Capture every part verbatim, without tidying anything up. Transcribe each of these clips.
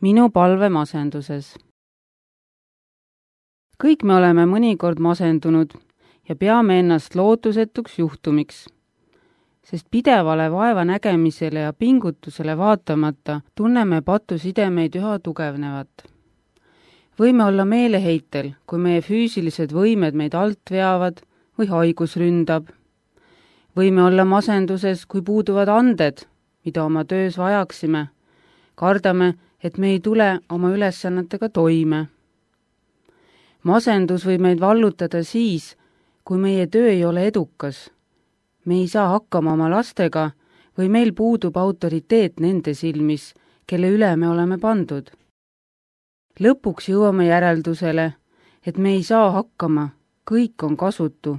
minu palve masenduses. Kõik me oleme mõnikord masendunud ja peame ennast lootusetuks juhtumiks, sest pidevale vaeva nägemisele ja pingutusele vaatamata tunneme patusidemeid üha tugevnevat. Võime olla meeleheitel, kui meie füüsilised võimed meid alt veavad või haigus ründab. Võime olla masenduses, kui puuduvad anded, mida oma töös vajaksime. Kardame, et me ei tule oma ülesannetega toime. Masendus võib meid vallutada siis, kui meie töö ei ole edukas. Me ei saa hakkama oma lastega või meil puudub autoriteet nende silmis, kelle üle me oleme pandud. Lõpuks jõuame järeldusele, et me ei saa hakkama, kõik on kasutu.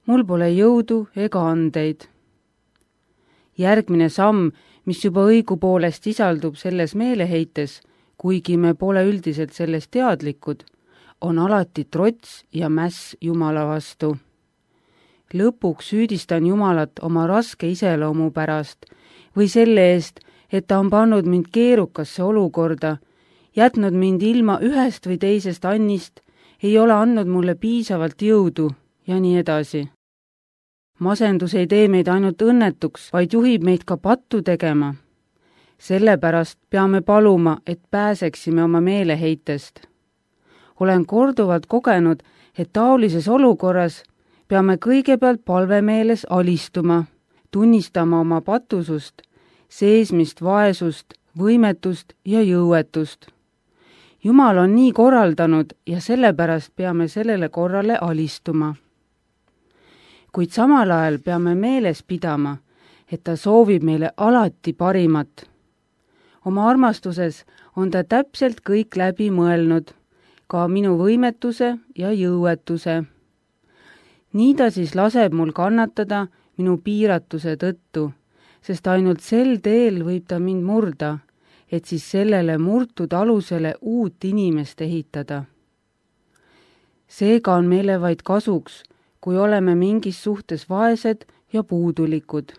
Mul pole jõudu ega andeid. Järgmine samm, mis juba õigupoolest sisaldub selles meeleheites, kuigi me pole üldiselt sellest teadlikud, on alati trots ja mäss Jumala vastu. Lõpuks süüdistan Jumalat oma raske iseloomu pärast või selle eest, et ta on pannud mind keerukasse olukorda, jätnud mind ilma ühest või teisest annist, ei ole andnud mulle piisavalt jõudu ja nii edasi. Masendus ei tee meid ainult õnnetuks, vaid juhib meid ka pattu tegema. Sellepärast peame paluma, et pääseksime oma meeleheitest. Olen korduvalt kogenud, et taolises olukorras peame kõigepealt palvemeeles alistuma, tunnistama oma patusust, seesmist vaesust, võimetust ja jõuetust. Jumal on nii korraldanud ja sellepärast peame sellele korrale alistuma. Kuid samal ajal peame meeles pidama, et ta soovib meile alati parimat. Oma armastuses on ta täpselt kõik läbi mõelnud, ka minu võimetuse ja jõuetuse. Nii ta siis laseb mul kannatada minu piiratuse tõttu, sest ainult sel teel võib ta mind murda, et siis sellele murtud alusele uut inimest ehitada. Seega on meile vaid kasuks, kui oleme mingis suhtes vaesed ja puudulikud.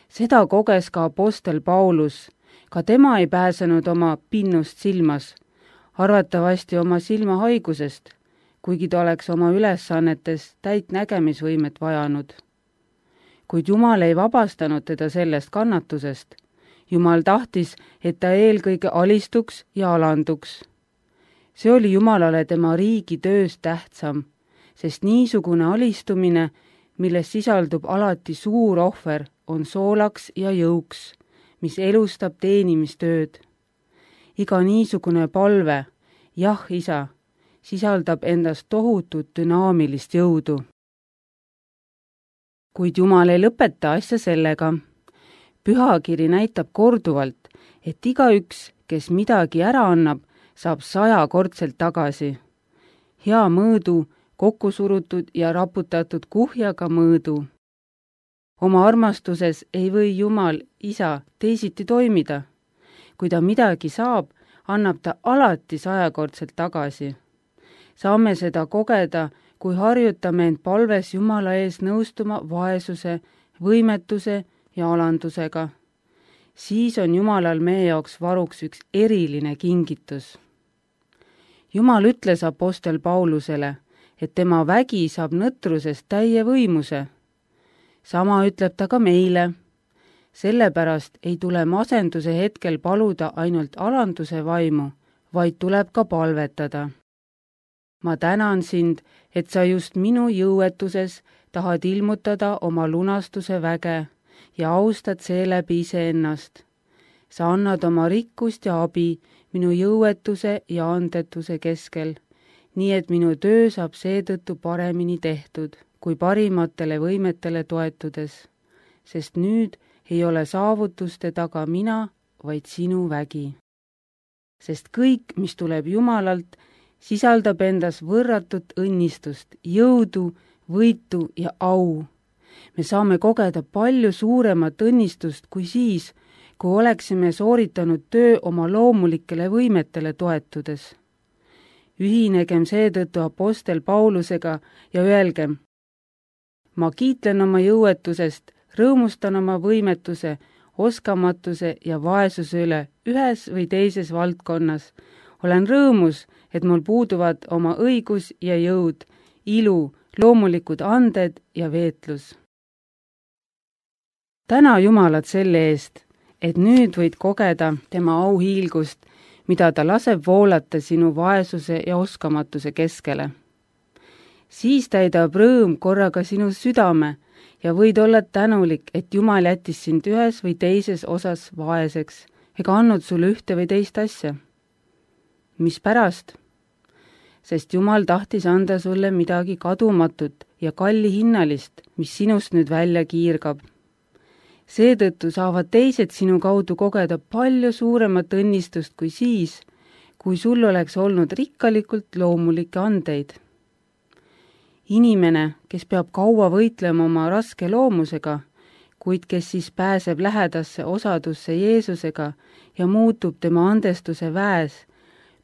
Seda koges ka apostel Paulus, ka tema ei pääsenud oma pinnust silmas, arvatavasti oma silmahaigusest, kuigi ta oleks oma ülesannetes täit nägemisvõimet vajanud. Kuid Jumal ei vabastanud teda sellest kannatusest. Jumal tahtis, et ta eelkõige alistuks ja alanduks. See oli Jumalale tema riigi töös tähtsam, sest niisugune alistumine, milles sisaldub alati suur ohver, on soolaks ja jõuks, mis elustab teenimistööd. Iga niisugune palve, jah, isa, sisaldab endast tohutut dünaamilist jõudu. Kuid Jumal ei lõpeta asja sellega. Pühakiri näitab korduvalt, et igaüks, kes midagi ära annab, saab sajakordselt tagasi. Hea mõõdu, kokku surutud ja raputatud kuhjaga mõõdu. Oma armastuses ei või Jumal, isa, teisiti toimida. Kui ta midagi saab, annab ta alati sajakordselt tagasi. Saame seda kogeda, kui harjutame end palves Jumala ees nõustuma vaesuse, võimetuse ja alandusega. Siis on Jumalal meie jaoks varuks üks eriline kingitus. Jumal ütles apostel Paulusele, et tema vägi saab nõtrusest täie võimuse. Sama ütleb ta ka meile. Sellepärast ei tule masenduse hetkel paluda ainult alanduse vaimu, vaid tuleb ka palvetada. Ma tänan sind, et sa just minu jõuetuses tahad ilmutada oma lunastuse väge ja austad seeläbi iseennast. Sa annad oma rikkust ja abi minu jõuetuse ja andetuse keskel, nii et minu töö saab seetõttu paremini tehtud, kui parimatele võimetele toetudes, sest nüüd ei ole saavutuste taga mina, vaid sinu vägi. Sest kõik, mis tuleb Jumalalt, sisaldab endas võrratut õnnistust, jõudu, võitu ja au. Me saame kogeda palju suuremat õnnistust kui siis, kui oleksime sooritanud töö oma loomulikele võimetele toetudes. Ühinegem seetõttu apostel Paulusega ja öelgem, ma kiitlen oma jõuetusest, rõõmustan oma võimetuse, oskamatuse ja vaesuse üle ühes või teises valdkonnas. olen rõõmus, et mul puuduvad oma õigus ja jõud, ilu, loomulikud anded ja veetlus. täna Jumalat selle eest, et nüüd võid kogeda tema auhiilgust, mida ta laseb voolata sinu vaesuse ja oskamatuse keskele. siis täidab rõõm korraga sinu südame ja võid olla tänulik, et Jumal jättis sind ühes või teises osas vaeseks ega andnud sulle ühte või teist asja. Mispärast? Sest Jumal tahtis anda sulle midagi kadumatut ja kallihinnalist, mis sinust nüüd välja kiirgab. Seetõttu saavad teised sinu kaudu kogeda palju suuremat õnnistust kui siis, kui sul oleks olnud rikkalikult loomulikke andeid. Inimene, kes peab kaua võitlema oma raske loomusega, kuid kes siis pääseb lähedasse osadusse Jeesusega ja muutub tema andestuse väes,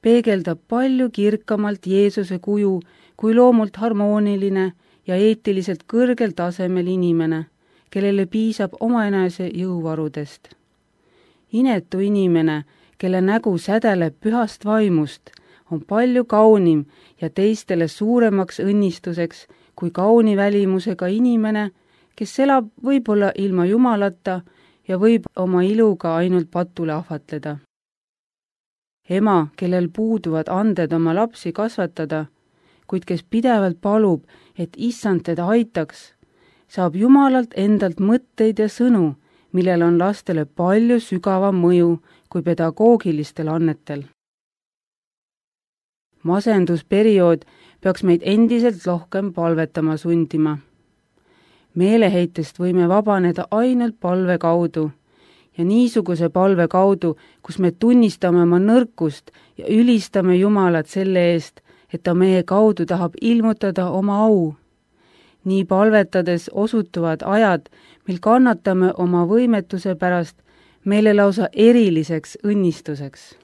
peegeldab palju kirkamalt Jeesuse kuju kui loomult harmooniline ja eetiliselt kõrgel tasemel inimene, kellele piisab omaenese jõuvarudest. Inetu inimene, kelle nägu sädeleb pühast vaimust, on palju kaunim ja teistele suuremaks õnnistuseks kui kauni välimusega inimene, kes elab võib-olla ilma Jumalata ja võib oma iluga ainult patule ahvatleda. Ema, kellel puuduvad anded oma lapsi kasvatada, kuid kes pidevalt palub, et issand teda aitaks, saab Jumalalt endalt mõtteid ja sõnu, millel on lastele palju sügavam mõju kui pedagoogilistel annetel. Masendusperiood peaks meid endiselt rohkem palvetama sundima. Meeleheitest võime vabaneda ainult palve kaudu ja niisuguse palve kaudu, kus me tunnistame oma nõrkust ja ülistame Jumalat selle eest, et ta meie kaudu tahab ilmutada oma au. Nii palvetades osutuvad ajad, mil kannatame oma võimetuse pärast meile lausa eriliseks õnnistuseks.